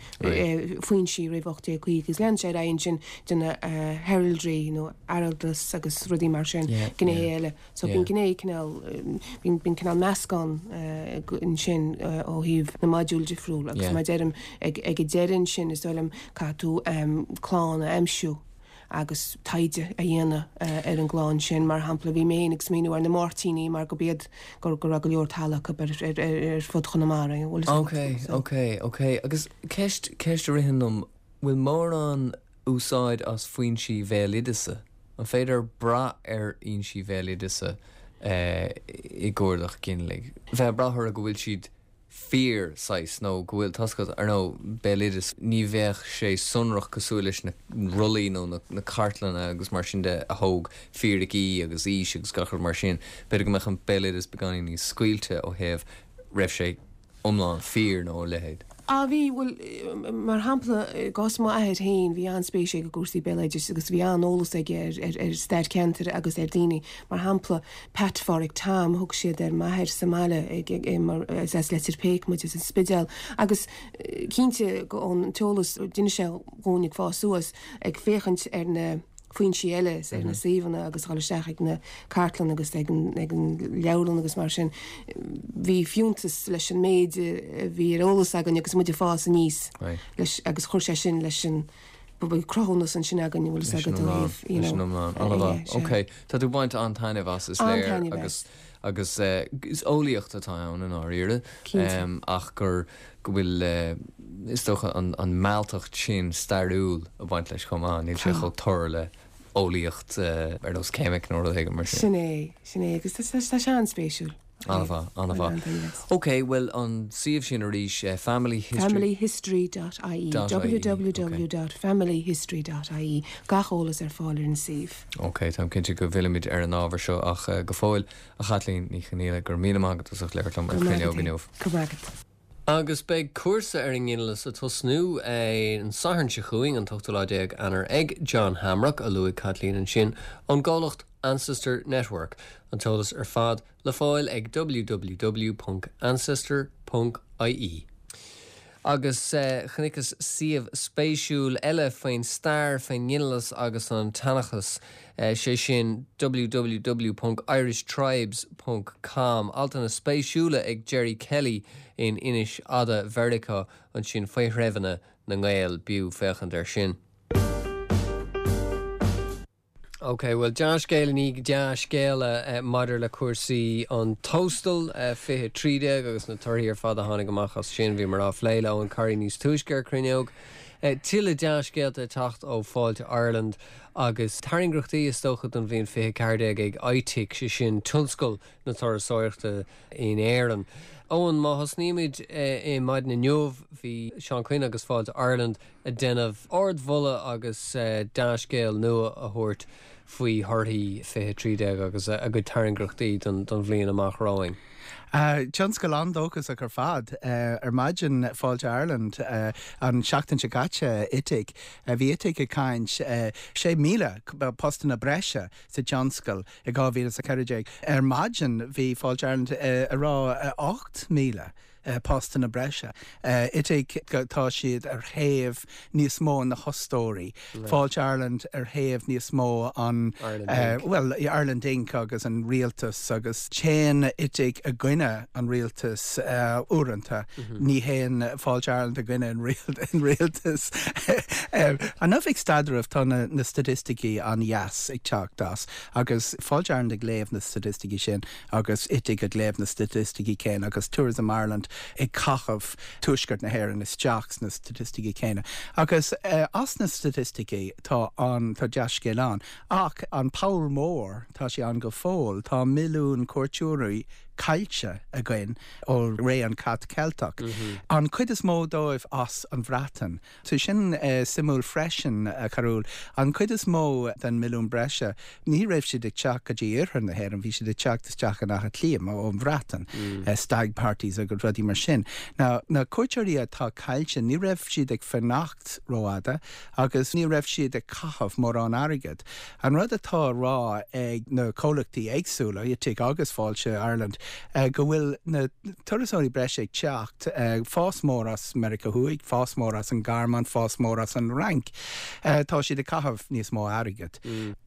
foinsí roimh 1850 agus lean sé ar aghaidh ansin de na heraldry nó araldas agus rudaí mar sin, gnéithe eile. So bíonn gné cineál, bíonn cineál meascán ansin ó thaobh na modúl difriúil agus mar a deirim ag an deireadh ansin is dóigh liom caithfidh tú clann a aimsiú agus taighde a dhéanamh ar an gclann sin. Mar shampla bhí mé féin ag smaoineamh ar na Máirtíní mar gurb iad go raibh go leor talamh acu ar fud Chonamara. Ok, ok, ok. Agus ceist, ceist a ritheann liom, bhfuil mórán úsáid as foinsí bhéaloideasa? An féidir brath ar fhoinsí bhéaloideasa i gcuardach ginealaigh? Bheith ag brath orthu go bhfuil siad fíor, saghas, nó go bhfuil, tá's agat, ar ndóigh, béaloideas, ní bheadh sé sonrach cosúil leis na rollaí nó na cartlanna agus mar sin de a thóg fíricí agus aois agus gach rud mar sin. B'fhéidir go mbeadh an béaloideas beagáinín níos scaoilte ó thaobh raibh sé iomlán fíor nó a leithéid. Á bhí, bhuel, mar shampla, i gcás m'athair féin, bhí an-spéis aige i gcúrsaí béaloidis agus bhí an-eolas aige ar stair ceantair agus ar daoine. Mar shampla, Pat Pháraic Tom, thug siad ar m'athair sa mbaile mar is as Leitir Péic muid, as an Spidéal, agus cinnte ón t-eolas a d'inis sé dhúinn ag fás suas, ag féachaint ar na. foinsí eile ar na suíomhanna agus dhul isteach ag na cartlanna agus ag an leabharlann agus mar sin. Bhí fiúntas leis an méid a bhí ar eolas againn agus muid ag fás aníos leis agus chuir sé sin leis an bhí cruthúnas ansin againn an bhfuil fhios agat ó thaobh you know. An-mhaith. Ok. Tá tú ag baint an-taitneamh as is léir agus agus is eolaíocht atá ann i ndáiríre ach gur go bhfuil, is dócha, an mealltacht sin stairiúil ag baint leis chomh maith, níl sé chomh tur le eolaíocht ar nós ceimic nó rud éigin mar sin. Sin é, sin é, agus tá sé an-spéisiúil. An-mhaith, an-mhaith. Ok, bhuel an suíomh sin arís, family history. Familyhistory dot ie, www dot familyhistory dot ie, gach eolas ar fáil ar an suíomh. Ok, táim cinnte go bhfillfimid ar an ábhar seo ach go fóill, A Chaitlín Ní Chonaola, go raibh míle maith agat as ucht labhairt liom ar Cruinneog inniu. Go raibh maith agat. Agus beidh cúrsa ar an nginealas ag tosnú an Satharn seo chugainn, an t-ochtú lá déag Eanáir, ag John Hamrock, a luaigh Caitlín ansin, ón gcomhlacht Ancestor Network. An t-eolas ar fad le fáil ag www.ancestor.ie. Agus chonaiceas suíomh spéisiúil eile faoin stair, faoin nginealas agus an tseanchas, sé sin www ponc irishtribes ponc com. Altanna spéisiúla ag Gerry Kelly in Inis Fhada Mheiriceá ansin faoi threibheanna na nGael. B'fhiú féachaint air sin. Ok, bhuel dea-scéal i ndiaidh dea-scéala maidir le cúrsaí an Tóstail 2013 agus na torthaí ar fad a tháinig amach as sin. Bhíomar á phlé le Eoghan Corry níos túisce ar Cruinneog. Tuilleadh dea-scéalta ag teacht ó Fáilte Ireland agus tairngreachtaí is dócha don bhliain 2014 ag ITIC, sé sin tionscal na turasóireachta in Éirinn. Eoghan, má thosnaímid i maidin inniu, bhí Seán Kyne agus Fáilte Ireland ag déanamh ardmholadh agus dea-scéal nua a thabhairt faoi thorthaí 2013 agus a gcuid tairngreachtaí don bhliain amach romhainn. Tionscal an-dóchasach ar fad ar maidin Fáilte Ireland an seachtain seo caite, ITIC. Bhí ITIC ag caint 6,000 postanna breise sa tionscal i 2014. Ar maidin bhí Fáilte Ireland ag rá 8,000. postanna breise. ITIC, tá siad ar thaobh níos mó na hostóirí. Fáilte Ireland ar thaobh níos mó an, bhuel, Ireland Inc agus an rialtas agus téann ITIC i gcoinne an rialtais uaireanta. Ní théann Fáilte Ireland i gcoinne an rialtais. An Oifig Staidrimh, tá na staitisticí an-dheas ag teacht as agus Fáilte Ireland ag léamh na staitisticí sin. agus ITIC ag léamh na staitisticí céanna agus Tourism Ireland ag caitheamh Tuaisceart na hÉireann isteach sna staitisticí céanna. Agus as na staitisticí tá an, tá dea-scéal ann. Ach an poll mór, tá sé ann go fóill, tá milliún cuairteoirí caillte againn ó ré an Cat Ceilteach. An chuid is mó dóibh as an Bhreatain. Tá sin suimiúil freisin, a Charúil. An chuid is mó den milliún breise, ní raibh siad ag teacht go dtí iarthar na hÉireann, bhí siad ag teacht isteach in Áth Cliath ón Bhreatain, stag parties agus rudaí mar sin. Now, na cuairteoirí atá caillte, ní raibh siad ag fanacht rófhada agus ní raibh siad ag caitheamh mórán airgead. An rud atá á rá ag na comhlachtaí éagsúla, ITIC agus Fáilte Ireland, go bhfuil na turasóirí breise ag teacht, fás mór as Meiriceá Thuaidh, fás mór as an Ghearmáin, fás mór as an Fhrainc. Tá siad ag caitheamh níos mó airgid.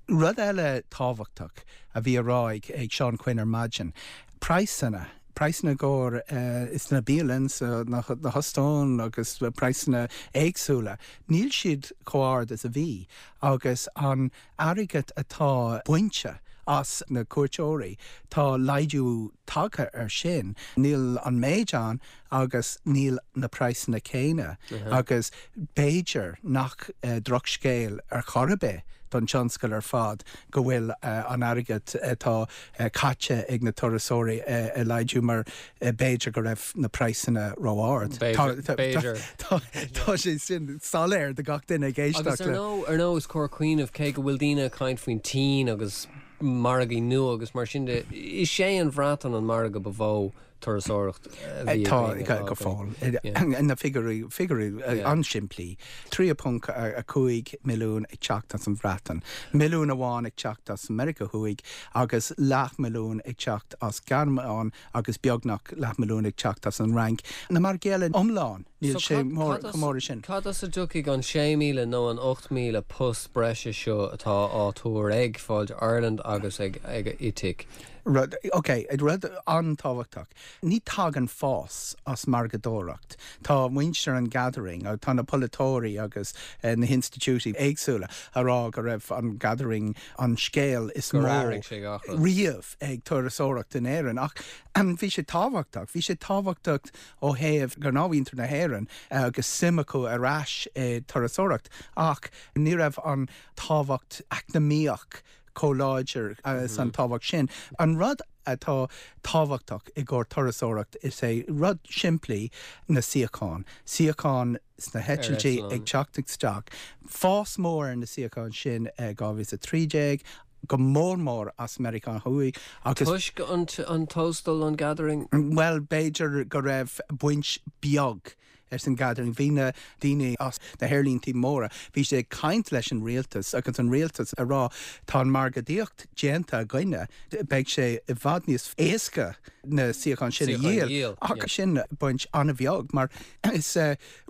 Rud eile tábhachtach a bhí á rá ag Seán Kyne ar maidin, praghsanna. Praghsanna i gcomhair sna bialann, sna hóstáin agus praghsanna éagsúla, níl siad chomh ard is a bhí agus an airgead atá bainte as na cuairteoirí, tá laghdú tagtha air sin. Níl an méid ann agus níl na praghsanna céanna agus b'fhéidir nach drochscéal ar chor ar bith don tionscal ar fad go bhfuil an airgead atá caite ag na turasóirí ag laghdú mar b'fhéidir go raibh na praghsanna ró-ard. B'fhéidir. Tá sé sin soiléir do gach duine ag éisteacht le. Agus ar ndóigh is cóir cuimhneamh, cé go bhfuil daoine ag caint faoin tSín agus margaí nua agus mar sin de, is é an Bhreatain an margadh ba mhó turasóireacht a bhí againn. Tá, go fóill. Na figiúirí, figiúirí an-simplí. 3.5 milliún ag teacht as an Bhreatain, milliún amháin ag teacht as Meiriceá Thuaidh agus leathmhilliún ag teacht as Gearmáin agus beagnach leathmhilliún ag teacht as an Fhrainc. Na margaí eile iomlán, níl sé chomh mór sin. Cad as a dtiocfaidh an 6,000 nó an 8,000 post breise seo atá á tuar ag Fáilte Ireland agus ag ITIC? Rud, ok, rud an-tábhachtach, ní tagann fás as margadóireacht. Tá muintir an Gathering, tá na polaiteoirí agus na hinstitiúidí éagsúla a rá go raibh an Gathering an scéal is mó riamh ag turasóireacht in Éirinn. Ach bhí sé tábhachtach, bhí sé tábhachtach ó thaobh gnáthmhuintir na hÉireann agus suim acu ar ais i turasóireacht ach ní raibh an tábhacht eacnamaíoch chomh láidir is an tábhacht sin. An rud atá tábhachtach i gcomhair turasóireacht is é rud simplí na suíocháin. Suíocháin sna heitiltí ag teacht isteach. Fás mór ar na suíocháin sin i 2013, go mór mór as Meiriceá Thuaidh agus. Toisc an Tóstal, an Gathering? Bhuel, b'fhéidir go raibh baint beag ag an Gathering. Bhí na daoine as na haerlíntí móra, bhí siad ag caint leis an rialtas agus an rialtas ag rá tá an margadaíocht déanta againne, beidh sé i bhfad níos éasca. na suíocháin sin a dhíol ach sin baint an-bheag mar is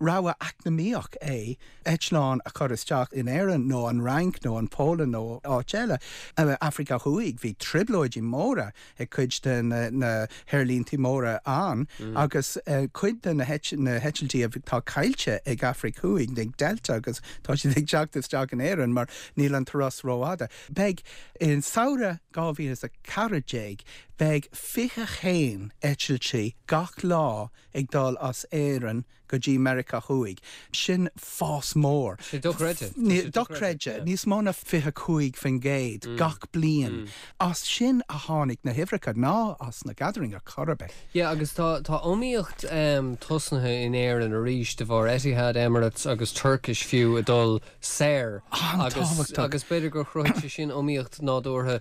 rogha eacnamaíoch é eitleán a chur isteach in Éirinn nó an Fhrainc nó an Pholainn nó áit eile. Afraic Thuaidh, bhí trioblóidí móra ag cuid de na haerlíntí móra ann agus cuid de na heitiltí atá caillte ag Afraic Thuaidh, ag Delta agus tá siad ag teacht isteach in Éirinn mar níl an turas rófhada. Beidh, i samhradh 2014, beidh 21 eitiltí gach lá ag dul as Éirinn go dtí Meiriceá Thuaidh. Sin fás mór. Sé dochreidte. Dochreidte. Níos mó ná 25% gach bliain. As sin a tháinig na huimhreacha, ná as na Gathering ar chor ar bith. Yeah, agus tá tá iomaíocht tosnaithe in Éirinn arís de bharr Etihad, Emirates agus Turkish fiú ag dul soir. An-tábhachtach. Agus b'fhéidir gur chruthaigh sé sin iomaíocht nádúrtha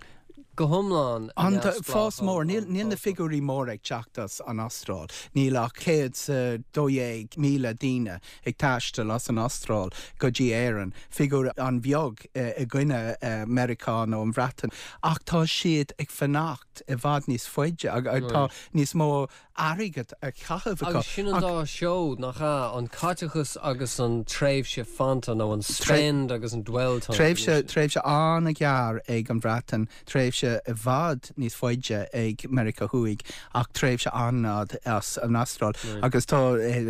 go hiomlán An fás mór, níl na figiúirí móra ag teacht as an Astráil. Níl ach 112,000 daoine ag taisteal as an Astráil go dtí Éirinn, figiúr an-bheag i gcoinne Meiriceá nó an Bhreatain. Ach tá siad ag fanacht i bhfad níos faide, tá níos mó airgead a chaitheamh acu. Agus sin an dá sheó, nach ea? An caiteachas agus an tréimhse fanta, nó an spend agus an dwell time. Tréimhse, tréimhse an-ghearr ag an Bhreatain, tréimhse i bhfad níos faide ag Meiriceá Thuaidh, ach tréimhse an-fhada as an Astráil. Agus tá,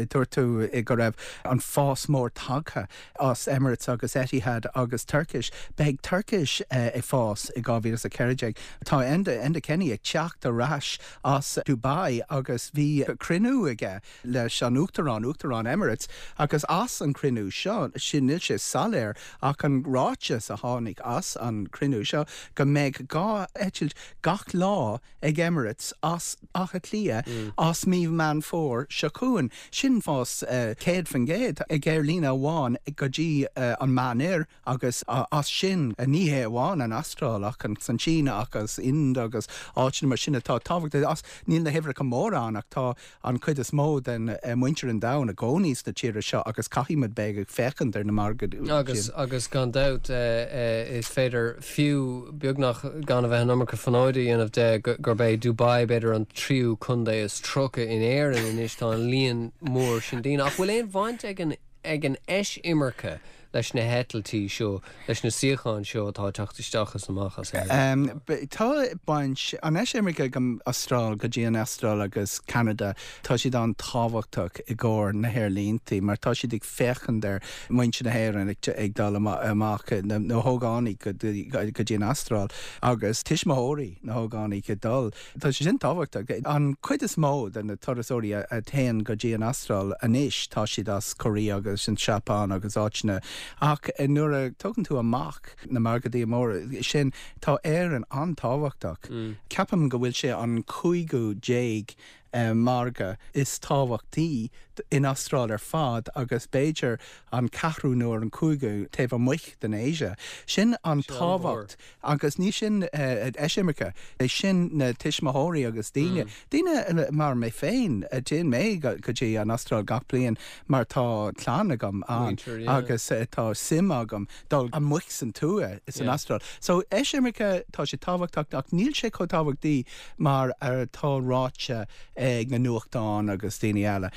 dúirt tú go raibh an fás mór tagtha as Emirates agus Etihad agus Turkish. Beidh Turkish ag fás i 2014. Tá Enda, Enda Kenny ag teacht ar ais as Dubai agus bhí cruinniú aige leis an Uachtarán, Uachtarán Emirates, agus as an cruinniú seo, sin, níl sé soiléir ach an ráiteas a tháinig as an cruinniú seo go mbeidh 2 eitilt gach lá ag Emirates as Áth Cliath as mí Meán Fómhair seo chugainn. Sin fás 100% ag aerlíne amháin go dtí an Meánoirthear agus as sin, ní hé amháin an Astráil ach an tSín agus Ind agus áiteanna mar sin atá tábhachtach. Níl na huimhreacha móra ann ach tá an chuid is mó den muintir an domhain i gcónaí sna tíortha seo agus caithfidh muid beith ag féachaint ar na margaí Agus, agus gan dabht, is féidir fiú, beagnach gan a bheith an iomarca fonóide a dhéanamh de, gurb é Dubai b'fhéidir an tríú contae is 30 in Éirinn anois, tá an líon mór sin daoine. Ach bhfuil aon bhaint ag an, ag an eisimirce leis na heitiltí seo, leis na suíocháin seo atá ag teacht isteach is amach as Éirinn? Tá baint, an eisimirce ag an Astráil, go dtí an Astráil agus Ceanada, tá siad an-tábhachtach i gcomhair na haerlínte mar tá siad ag féachaint ar muintir na hÉireann ag dul amach, na hógánaigh go dtí an Astráil agus tuismitheoirí na hógánaigh ag dul. Tá sé sin tábhachtach. An chuid is mó de na turasóirí a théann go dtí an Astráil anois, tá siad as Korea agus an tSeapáin agus áiteanna ach nuair a tógann tú amach na margaí móra sin, tá Éirinn an-tábhachtach. Ceapaim go bhfuil sé an 15ú margadh is tábhachtaí in Astráil ar fad agus b'fhéidir an ceathrú nó an cúigiú taobh amuigh den Asia. Sin an tábhacht Agus ní sin eisimirce, é sin na tuismitheoirí agus daoine, daoine mar mé féin, téann mé go dtí an Astráil gach bliain mar tá clann agam ann agus tá suim agam dul amuigh san tuath san Astráil. So eisimirce, tá sé tábhachtach ach níl sé chomh tábhachtaí mar atá ráite ag na nuachtáin agus daoine eile.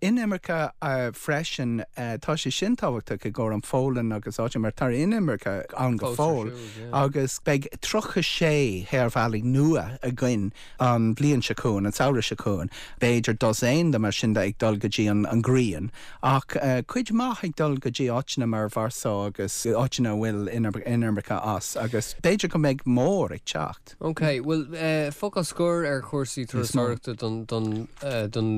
Inimirce freisin, tá sé sin tábhachtach i gcomhair an Pholainn agus áiteanna mar tá inimirce ann go fóill agus beidh 36 haerbhealaí nua againn an bhliain seo chugainn, an samhradh seo chugainn. B'fhéidir dosaen de mar sin de ag dul go dtí an ghrian ach cuid maith ag dul go dtí áiteanna mar Varsó agus áiteanna a bhfuil inimirce as agus b'fhéidir go mbeidh mór ag teacht. Ok, bhuel, focal scoir ar chúrsaí turasóireachta don don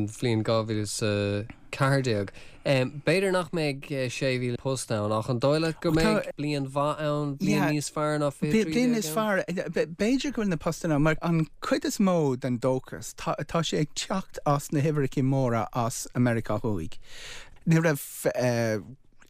bhliain 2014. B'fhéidir nach mbeidh 6,000 post ann, ach an dóigh leat go mbeidh bliain mhaith ann, bliain níos fearr ná 2013 Bliain níos fearr, b'fhéidir go bhfuil na postanna ann, mar an chuid is mó den dóchas, tá sé ag teacht as na huimhreacha móra as Meiriceá Thuaidh. Ní raibh.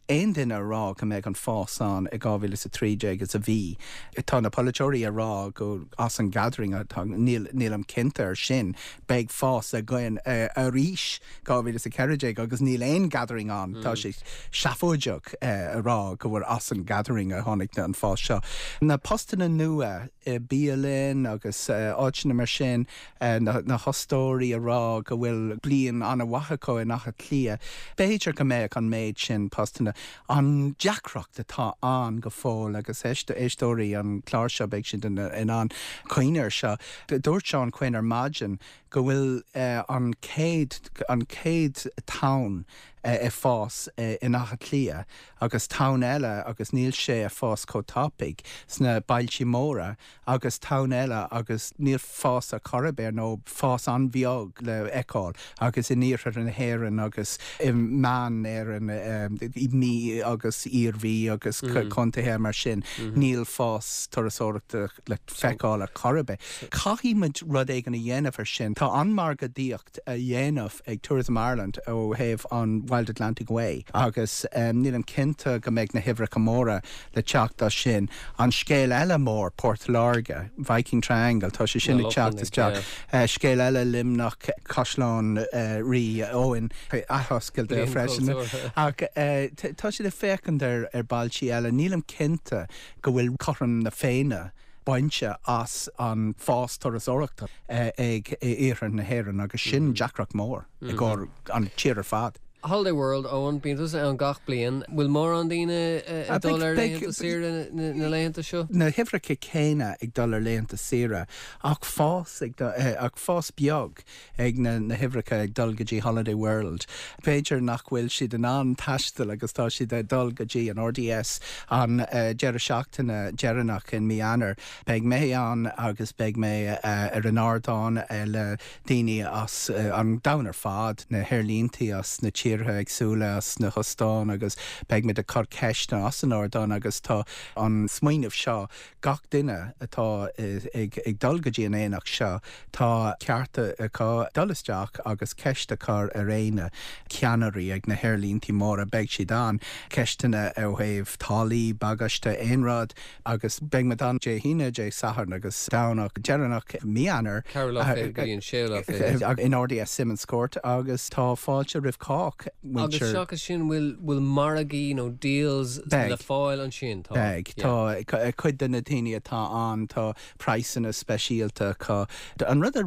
aon duine a rá go mbeidh an fás ann i 2013 is a bhí. Tá na polaiteoirí a rá go as an gathering atá, níl, nílim cinnte ar sin, beidh fás againn arís 2014 agus níl aon gathering ann. Tá sé seafóideach a rá go bhfuil as an gathering a tháinig an fás seo. Na postanna nua i bialann agus áiteanna mar sin, na hostóirí a rá go bhfuil bliain an-mhaith acu in Áth Cliath. B'fhéidir go mbeadh an méid sin postanna. An deacracht atá ann go fóill, agus éisteoirí an chláir seo beidh siad in ann cuimhneamh air seo, dúirt Seán Quinn ar maidin go bhfuil an chéad an chéad tonn ag fás in Áth Cliath agus tonn eile agus níl sé ag fás chomh tapaidh sna bailtí móra agus tonn eile agus níl fás ar chor ar bith nó fás an-bheag le feiceáil agus in iarthar na hÉireann agus i meán Éireann, i Mí agus Iarmhí agus contaetha mar sin, níl fás turasóireachta le feiceáil ar chor ar bith. Caithfidh muid rud éigin a dhéanamh ar sin. Tá an-mhargadaíocht. a dhéanamh ag Tourism Ireland ó thaobh an Wild Atlantic Way agus nílim cinnte go mbeidh na huimhreacha móra le teacht as sin. An scéal eile mór, Port Láirge, Viking Triangle, tá sé sin ag teacht isteach. Scéal eile, Luimneach, Caisleán Rí Eoin, athoscailte freisin. Ach tá siad ag féachaint ar bailtí eile. Nílim cinnte go bhfuil cothrom na Féinne bainte as an fás turasóireachta ag iarthar na hÉireann agus sin deacracht mór i gcomhair an tír ar fad. Holiday World, Eoin, bíonn tusa ann gach bliain. Bhfuil mórán daoine ag dul ar laethanta saoire na laethanta seo? Na huimhreacha céanna ag dul ar laethanta saoire ach fás ag ach fás beag ag na na huimhreacha ag dul go dtí Holiday World. B'fhéidir nach bhfuil siad in ann taisteal agus tá siad ag dul go dtí an RDS an deireadh seachtaine deireanach in mí Eanáir. Beidh mé ann agus beidh mé ar an ardán le daoine as an domhan ar fad, na haerlínte as na tíortha éagsúla, as na hostáin agus beidh muid ag cur ceisteanna as an ardán agus tá an smaoineamh seo Gach duine atá ag dul go dtí an aonach seo, tá ceart acu dul isteach agus ceist a chur ar éinne, ceannairí ag na haerlíntí móra, beidh siad ann, ceisteanna ó thaobh táillí, bagáiste, aon rud agus beidh muid ann Dé hAoine, Dé Sathairn agus Domhnach deireanach mí Eanáir. Ceathrú lá fichead go dtí an séú lá fichead. In RDS Simmonscourt agus tá fáilte roimh chách. Agus seachas sin, bhfuil bhfuil margaí nó deals le fáil ansin? Tá. Beidh. Tá cuid de na daoine atá ann, tá praghsanna speisialta acu. An rud a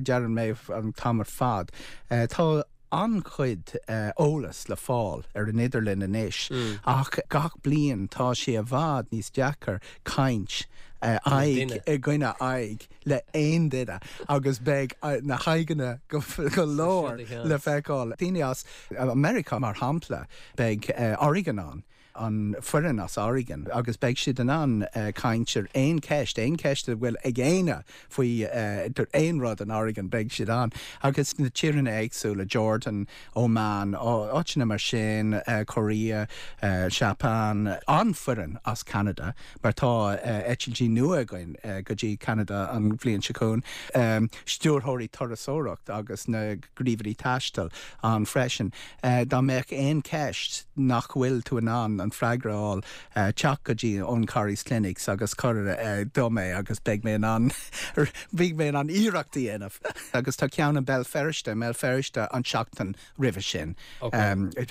deireann mé an t-am ar fad, tá an-chuid eolas le fáil ar an idirlíon anois ach gach bliain tá sé i bhfad níos deacair caint aghaidh i gcoinne aghaidh le aon duine agus beidh na haghaidheanna go leor le feiceáil. Daoine as Meiriceá, mar shampla, beidh Oregon ann, an foireann as Oregon, agus beidh siad in ann caint ar aon cheist, aon cheist a bhfuil ag éinne faoi aon rud in Oregon, beidh siad ann. Agus na tíortha éagsúla, Jordan, Oman, áiteanna mar sin, Korea, Seapáin, an-fhoireann as Ceanada, mar tá eitiltí nua againn go dtí Ceanada an bhliain seo chugainn, stiúrthóirí turasóireacht agus na gníomhairí taistil ann freisin. Dá mbeadh aon cheist nach bhfuil tú in ann an freagra a fháil, teacht go dtí Eoghan Corry's Clinics agus cuir dom é agus beidh mé in ann beidh mé in ann iarracht a dhéanamh. Agus tá ceann i mBéal Feirste, i mBéal Feirste an tseachtain roimhe sin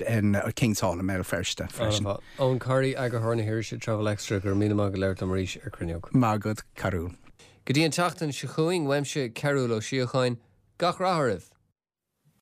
in King's Hall i mBéal Feirste freisin. Eoghan Corry, eagarthóir na hirise Travel Extra, go raibh míle maith agat labhairt liom arís ar Cruinneog. Maith agat, Cearúl. Go dtí an tseachtain seo chugainn, uaimse Cearúl Ó Síocháin, gach rath oraibh!